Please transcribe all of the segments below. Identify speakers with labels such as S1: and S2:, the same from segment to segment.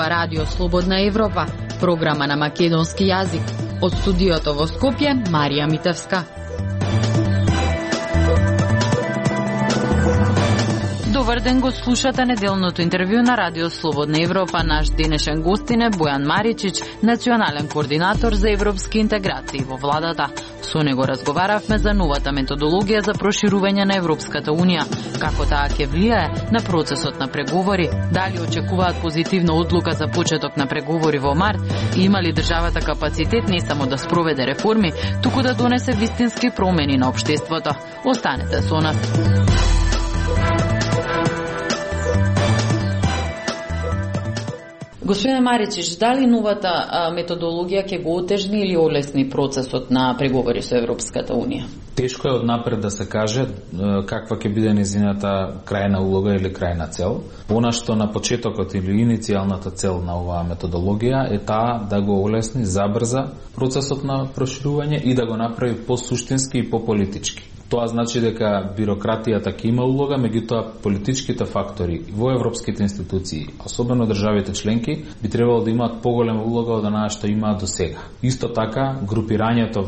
S1: ова Радио Слободна Европа, програма на македонски јазик. Од студиото во Скопје, Марија Митевска. Добар ден, го слушате неделното интервју на Радио Слободна Европа. Наш денешен гостин е Бојан Маричич, национален координатор за европски интеграции во владата. Со него разговаравме за новата методологија за проширување на Европската Унија, како таа ќе влијае на процесот на преговори, дали очекуваат позитивна одлука за почеток на преговори во март и има ли државата капацитет не само да спроведе реформи, туку да донесе вистински промени на општеството. Останете со нас. Господине Маричич, дали новата методологија ќе го отежни или олесни процесот на преговори со Европската Унија?
S2: Тешко е однапред да се каже каква ќе биде нејзината крајна улога или крајна цел. Она што на почетокот или иницијалната цел на оваа методологија е таа да го олесни, забрза процесот на проширување и да го направи посуштински и пополитички. Тоа значи дека бирократијата ќе има улога, меѓутоа политичките фактори во европските институции, особено државите членки, би требало да имаат поголема улога од онаа што имаат до сега. Исто така, групирањето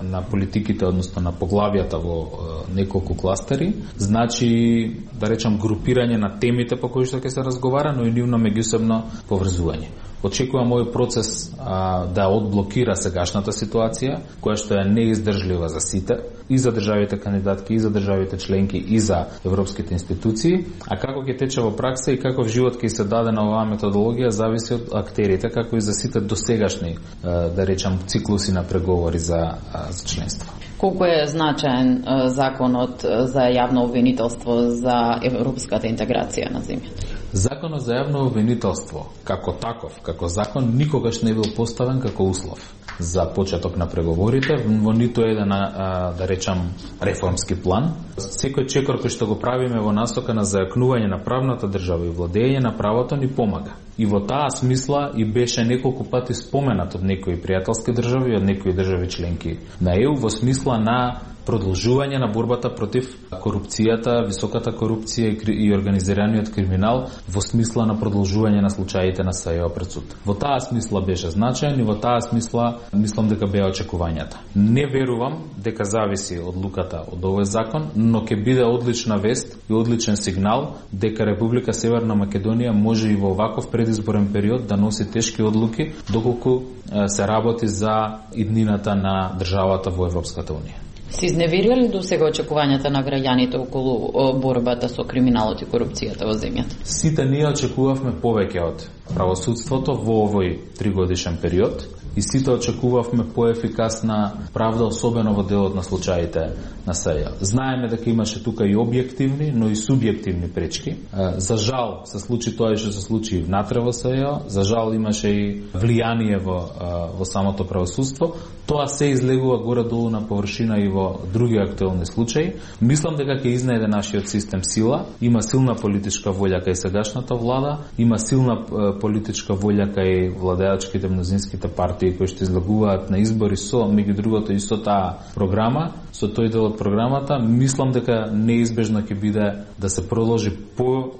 S2: на политиките, односно на поглавјата во неколку кластери, значи, да речам, групирање на темите по кои што ќе се разговара, но и нивно меѓусебно поврзување. Очекувам овој процес да одблокира сегашната ситуација, која што е неиздржлива за сите, и за државите кандидатки, и за државите членки, и за европските институции, а како ќе тече во пракса и каков живот ќе се даде на оваа методологија зависи од актерите, како и за сите досегашни, да речам, циклуси на преговори за членство.
S1: Колку е значаен законот за јавно обвинителство за европската интеграција на земјата?
S2: Законот за јавно обвинителство, како таков, како закон, никогаш не бил поставен како услов за почеток на преговорите во ниту еден, да речам, реформски план. Секој чекор кој што го правиме во насока на зајакнување на правната држава и владење на правото ни помага. И во таа смисла и беше неколку пати споменат од некои пријателски држави, од некои држави членки на ЕУ во смисла на продолжување на борбата против корупцијата, високата корупција и организираниот криминал, во смисла на продолжување на случаите на САЕО пред суд. Во таа смисла беше значаен и во таа смисла мислам дека беа очекувањата. Не верувам дека зависи одлуката од овој закон, но ќе биде одлична вест и одличен сигнал дека Република Северна Македонија може и во ваков предизборен период да носи тешки одлуки доколку се работи за иднината на државата во Европската Унија.
S1: Се изневерија ли до сега очекувањата на граѓаните околу борбата со криминалот и корупцијата во земјата?
S2: Сите ние очекувавме повеќе од правосудството во овој 3-годишен период и сите очекувавме поефикасна правда, особено во делот на случаите на САЕО. Знаеме дека имаше тука и објективни, но и субјективни пречки. За жал се случи тоа и што се случи и внатре во САЕО. За жал имаше и влијание во самото правосудство. Тоа се излегува горе-долу на површина и во други актуелни случаи. Мислам дека ќе изнајде нашиот систем сила. Има силна политичка волја кај сегашната влада, има силна политичка волја кај владеачките мнозинските партии кои што излегуваат на избори со, меѓу другото, и со таа програма, со тој дел од програмата. Мислам дека неизбежно ќе биде да се продолжи по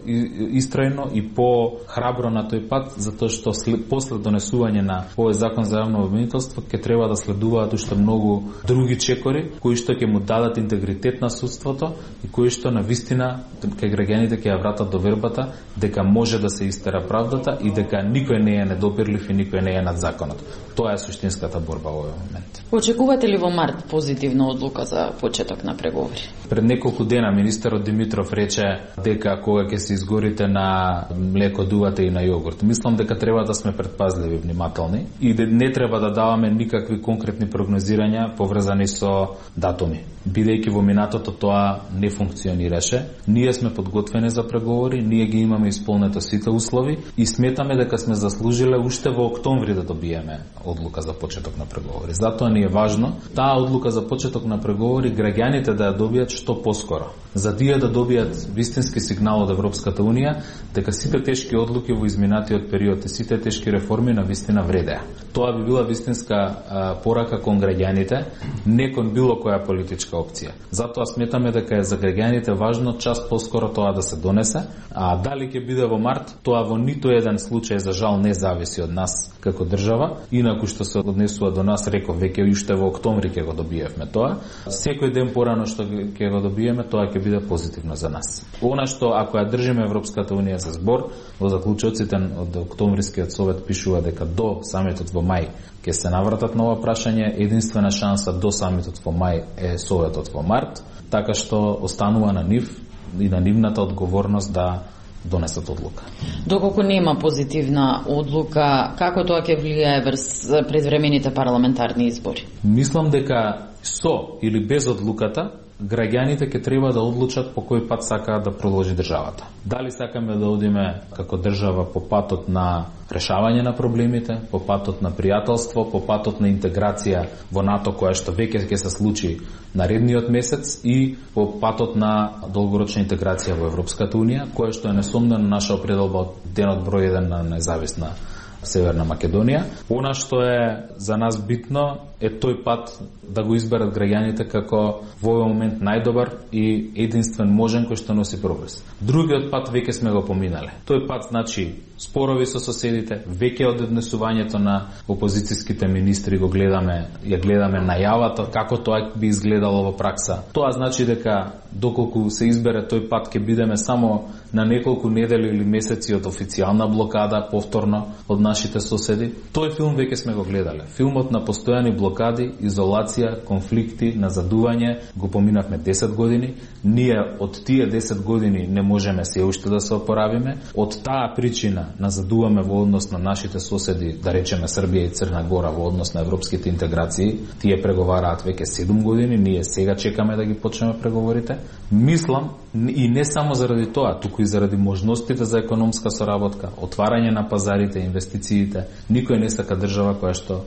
S2: истрајно и по храбро на тој пат, затоа што после донесување на овој закон за јавно обвинителство ќе треба да следуваат уште многу други чекори кои што ќе му дадат интегритет на судството и кои што на вистина кај граѓаните ќе ја вратат довербата дека може да се истера правдата и дека никој не е недопирлив и никој не е над законот. Тоа е суштинската борба во овој момент.
S1: Очекувате ли во март позитивна одлука за почеток на преговори?
S2: Пред неколку дена министерот Димитров рече дека кога ќе се изгорите на млеко, дувате и на јогурт. Мислам дека треба да сме предпазливи, внимателни и не треба да даваме никакви конкретни прогнозирања поврзани со датуми. Бидејќи во минатото тоа не функционираше, ние сме подготвени за преговори, ние ги имаме исполнето сите услови и сметаме дека сме заслужиле уште во октомври да добиеме одлука за почеток на преговори. Затоа ни е важно таа одлука за почеток на преговори граѓаните да ја добијат што поскоро, за да добијат вистински сигнал од Европската Унија дека сите тешки одлуки во изминатиот период и сите тешки реформи на вистина вредеа. Тоа би била вистинска порака кон граѓаните, не кон било која политичка опција. Затоа сметаме дека е за граѓаните важно час поскоро тоа да се донесе, а дали ќе биде во март, тоа во ниту еден случај за жал не зависи од нас како држава, инаку што се однесува до нас, реков веќе уште во октомври ќе го добиевме тоа. Секој ден порано што ќе го добиеме, тоа ќе биде позитивно за нас. Она што ако ја држиме Европската унија за збор, во заклучоците од октомврискиот совет пишува дека до самитот во мај ќе се навратат на ова прашање, единствена шанса до самитот во мај е советот во март, така што останува на нив и на нивната одговорност да донесат одлука.
S1: Доколку нема позитивна одлука, како тоа ќе влијае врз предвремените парламентарни избори?
S2: Мислам дека со или без одлуката граѓаните ќе треба да одлучат по кој пат сакаат да продолжи државата. Дали сакаме да одиме како држава по патот на решавање на проблемите, по патот на пријателство, по патот на интеграција во НАТО, која што веќе ќе се случи наредниот месец, и по патот на долгорочна интеграција во Европската унија, која што е несомнено наша определба од денот број 1 на независна Северна Македонија. Она што е за нас битно е тој пат да го изберат граѓаните како во овој момент најдобар и единствен можен кој што носи прогрес. Другиот пат веќе сме го поминале. Тој пат значи спорови со соседите, веќе од однесувањето на опозицијските министри ја гледаме најавата како тоа би изгледало во пракса. Тоа значи дека доколку се избере тој пат ќе бидеме само на неколку недели или месеци од официјална блокада повторно од нашите соседи. Тој филм веќе сме го гледале. Филмот на постојани блокади, изолација, конфликти, назадување го поминавме 10 години. Ние од тие 10 години не можеме се уште да се опоравиме. Од таа причина назадуваме во однос на нашите соседи, да речеме Србија и Црна Гора, во однос на европските интеграции. Тие преговараат веќе 7 години, ние сега чекаме да ги почнеме преговорите. Мислам, и не само заради тоа, туку и заради можностите за економска соработка, отварање на пазарите, инвестициите. Никој не сака држава која што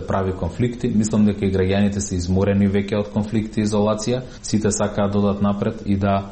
S2: прави конфликти. Мислам дека и граѓаните се изморени веќе од конфликти и изолација. Сите сакаат да додат напред и да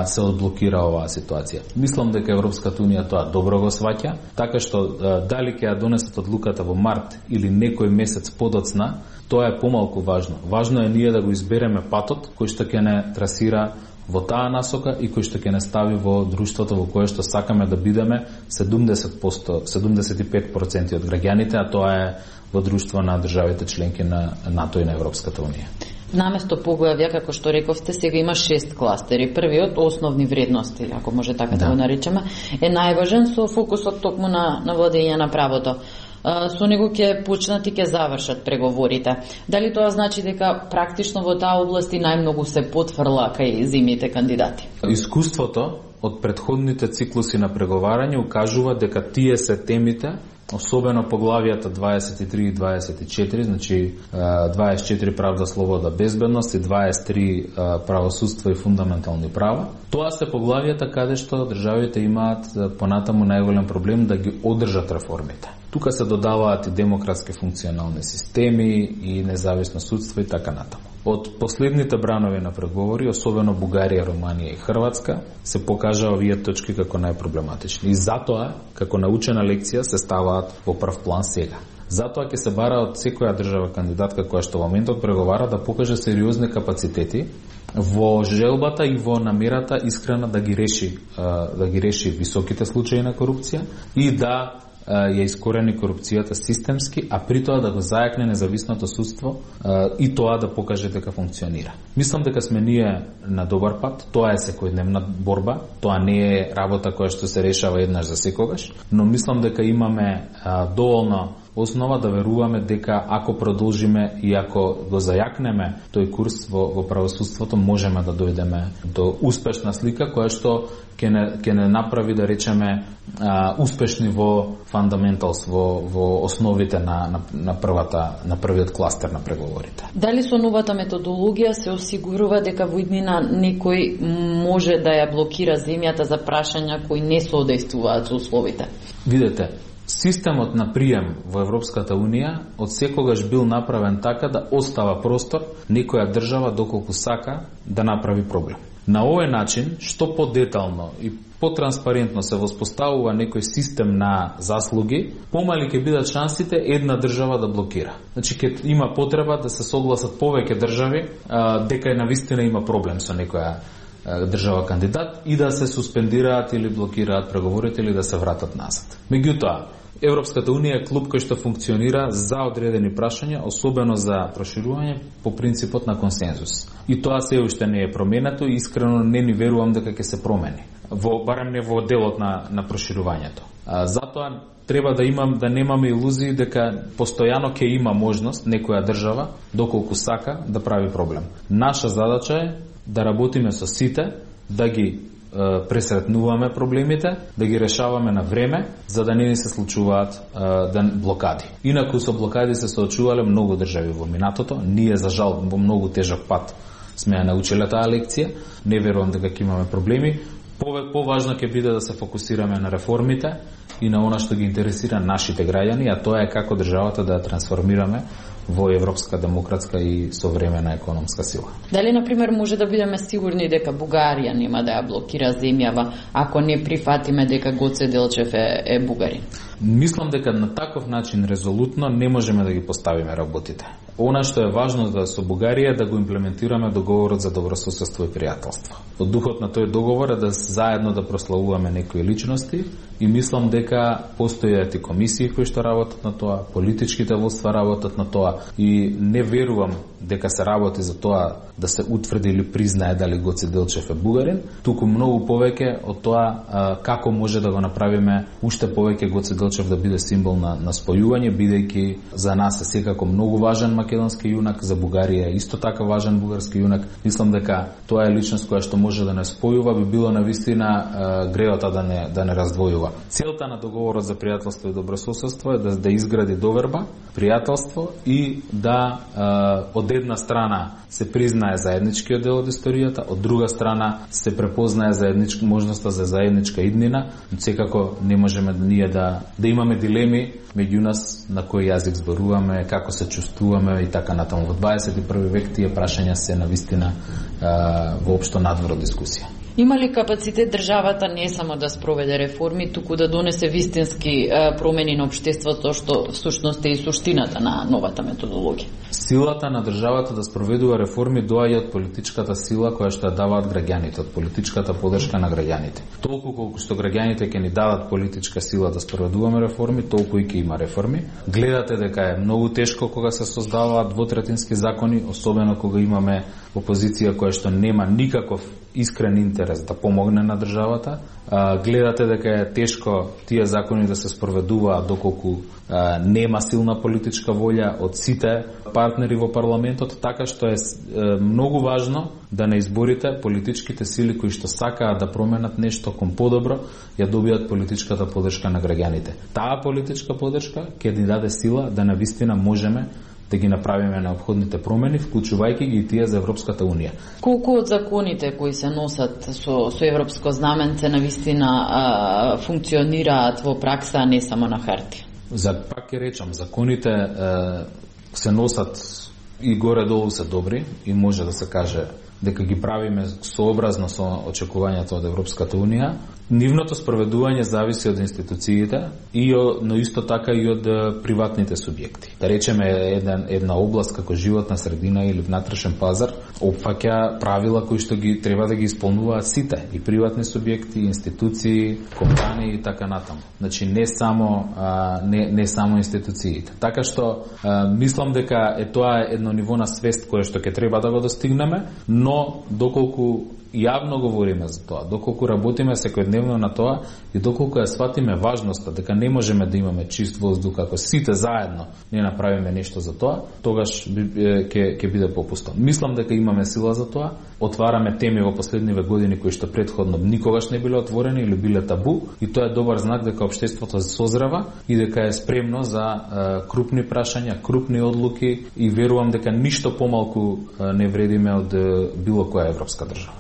S2: се одблокира оваа ситуација. Мислам дека Европската унија тоа добро го сваќа, така што дали ќе ја донесат одлуката во март или некој месец подоцна, тоа е помалку важно. Важно е ние да го избереме патот кој што ќе не трасира во таа насока и кој што ќе не стави во друштвото во кое што сакаме да бидеме 75% од граѓаните, а тоа е во друштво на државите членки на НАТО и на Европската унија.
S1: Наместо поглавја, како што рековте, сега има 6 кластери. Првиот, основни вредности, ако може така да го наречеме, е најважен со фокусот токму на владење на правото. Со него ќе почнат и ќе завршат преговорите. Дали тоа значи дека практично во таа област и најмногу се потврла кај земјите кандидати?
S2: Искуството од претходните циклуси на преговарање укажува дека тие се темите, особено поглавијата 23 и 24, значи 24 правда, слобода, безбедност и 23 правосудство и фундаментални права. Тоа се поглавијата каде што државите имаат понатаму најголем проблем да ги одржат реформите. Тука се додаваат и демократски функционални системи и независно судство и така натаму. Од последните бранови на преговори, особено Бугарија, Руманија и Хрватска, се покажа овие точки како најпроблематични. И затоа, како научена лекција, се ставаат во прв план сега. Затоа ќе се бара од секоја држава кандидатка која што во моментот преговара да покаже сериозни капацитети во желбата и во намерата искрена да ги реши високите случаи на корупција и да ја искорени корупцијата системски, а при тоа да го зајакне независното судство и тоа да покаже дека функционира. Мислам дека сме ние на добар пат, тоа е секојдневна борба, тоа не е работа која што се решава еднаш за секогаш, но мислам дека имаме доволно основа да веруваме дека ако продолжиме и ако го зајакнеме тој курс во правосудството, можеме да дојдеме до успешна слика која што ќе не направи, да речеме, успешни во фундаменталс, во основите на првиот кластер на преговорите.
S1: Дали со новата методологија се осигурува дека во иднина некој може да ја блокира земјата за прашања кои не соодействуваат со условите?
S2: Видете, системот на прием во Европската унија од секогаш бил направен така да остава простор некоја држава доколку сака да направи проблем. На овој начин, што подетално и потранспарентно се воспоставува некој систем на заслуги, помали ќе бидат шансите една држава да блокира. Значи ќе има потреба да се согласат повеќе држави дека навистина има проблем со некоја држава кандидат и да се суспендираат или блокираат преговорите или да се вратат назад. Меѓутоа, Европската унија е клуб кој што функционира за одредени прашања, особено за проширување по принципот на консензус. И тоа се уште не е променето и искрено не ни верувам дека ќе се промени. Барем не во делот на проширувањето. Затоа треба да немаме илузии дека постојано ќе има можност некоја држава, доколку сака, да прави проблем. Наша задача е да работиме со сите, да ги пресретнуваме проблемите, да ги решаваме на време, за да не ни се случуваат блокади. Инаку со блокади се соочувале многу држави во минатото, ние за жал во многу тежок пат сме ја научиле таа лекција, не верувам дека ќе имаме проблеми. Поважно ќе биде да се фокусираме на реформите и на она што ги интересира нашите граѓани, а тоа е како државата да ја трансформираме во европска, демократска и современа економска сила.
S1: Дали, например, може да бидеме сигурни дека Бугарија нема да ја блокира земјава ако не прифатиме дека Гоце Делчев е бугарин?
S2: Мислам дека на таков начин резолутно не можеме да ги поставиме работите. Она што е важно со Бугарија е да го имплементираме договорот за добрососедство и пријателство. Од духот на тој договор е да заедно да прославуваме некои личности и мислам дека постојат и комисии кои што работат на тоа, политичките воства работат на тоа и не верувам дека се работи за тоа да се утврди или признае дали Гоце Делчев е бугарин, туку многу повеќе од тоа како може да го направиме уште повеќе Гоце Делчев да биде символ на спојување, бидејќи за нас е секако многу важен македонски јунак, за Бугарија е исто така важен бугарски јунак. Мислам дека тоа е личност која што може да не спојува, би било навистина греота да не раздвојува. Целта на договорот за пријателство и добрососедство е да изгради доверба, пријателство и да од една страна се признае заедничкиот дел од историјата, од друга страна се препознае можноста за заедничка иднина, но секако не можеме ние да имаме дилеми меѓу нас на кој јазик зборуваме, како се чувствуваме и така натаму. Во 21 век тие прашања се навистина воопшто надвор од дискусија.
S1: Има ли капацитет државата не само да спроведе реформи, туку да донесе вистински промени на општеството, што всушност е и суштината на новата методологија?
S2: Силата на државата да спроведува реформи доаѓа од политичката сила која што ја даваат граѓаните, од политичката подршка на граѓаните. Толку колку што граѓаните ќе ни дадат политичка сила да спроведуваме реформи, толку и ќе има реформи. Гледате дека е многу тешко кога се создаваат двотретински закони, особено кога имаме опозиција која што нема никаков искрен интерес да помогне на државата. Гледате дека е тешко тие закони да се спроведуваат доколку нема силна политичка волја од сите партнери во парламентот, така што е многу важно да на изборите политичките сили кои што сакаат да променат нешто кон подобро, ја добијат политичката поддршка на граѓаните. Таа политичка поддршка ќе ни даде сила да навистина можеме да ги направиме неопходните промени, вклучувајќи ги и тие за Европската Унија.
S1: Колку од законите кои се носат со европско знаменце навистина функционираат во пракса, а не само на хартија?
S2: Пак ќе речам, законите се носат и горе-долу се добри и може да се каже дека ги правиме сообразно со очекувањето од Европската Унија. Нивното спроведување зависи од институциите, но исто така и од приватните субјекти. Да речеме, една област како животна средина или внатрешен пазар опфаќа правила кои што ги треба да ги исполнуваат сите, и приватни субјекти, институции, компании и така натаму. Значи не само институциите. Така што мислам дека тоа е едно ниво на свест кое што ќе треба да го достигнеме, но доколку јавно говориме за тоа, доколку работиме секојдневно на тоа и доколку ја сватиме важноста дека не можеме да имаме чист воздух ако сите заедно не направиме нешто за тоа, тогаш ќе биде попусто. Мислам дека имаме сила за тоа. Отвараме теми во последниве години кои што претходно никогаш не биле отворени или биле табу, и тоа е добар знак дека општеството созрева и дека е спремно за крупни прашања, крупни одлуки, и верувам дека ништо помалку не вредиме од било која европска држава.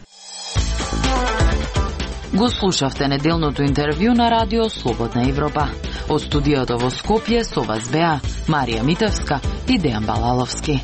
S1: Го слушавте неделното интервју на Радио Слободна Европа. Од студиото во Скопје со вас беа Марија Митевска и Дејан Балаловски.